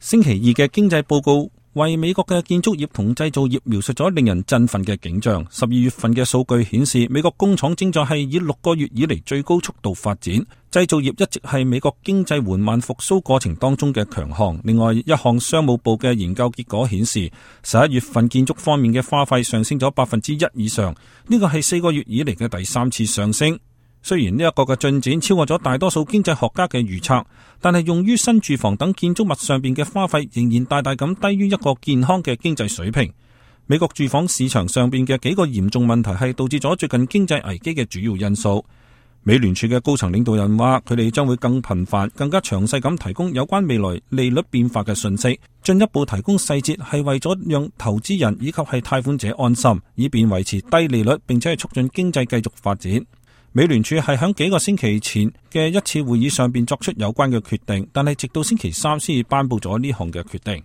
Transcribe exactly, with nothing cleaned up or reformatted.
星期二嘅經濟報告為美國嘅建築業同製造業描述咗令人振奮嘅景象。十二月份嘅數據顯示，美國工廠正在係以六個月以嚟最高速度發展，製造業一直係美國經濟緩慢復甦過程當中嘅強項。另外，一項商務部嘅研究結果顯示，十一月份建築方面嘅花費上升咗百分之一以上，呢個係四個月以嚟嘅第三次上升。雖然呢一個嘅進展超過咗大多數經濟學家嘅預測，但係用於新住房等建築物上邊嘅花費仍然大大咁低於一個健康嘅經濟水平。美國住房市場上邊嘅幾個嚴重問題係導致咗最近經濟危機嘅主要因素。美聯儲嘅高層領導人話，佢哋將會更頻繁、更加詳細咁提供有關未來利率變化嘅信息，進一步提供細節係為咗讓投資人以及係貸款者安心，以便維持低利率，並且係促進經濟繼續發展。美聯儲係喺幾個星期前嘅一次會議上邊作出有關嘅決定，但係直到星期三先至頒布咗呢項嘅決定。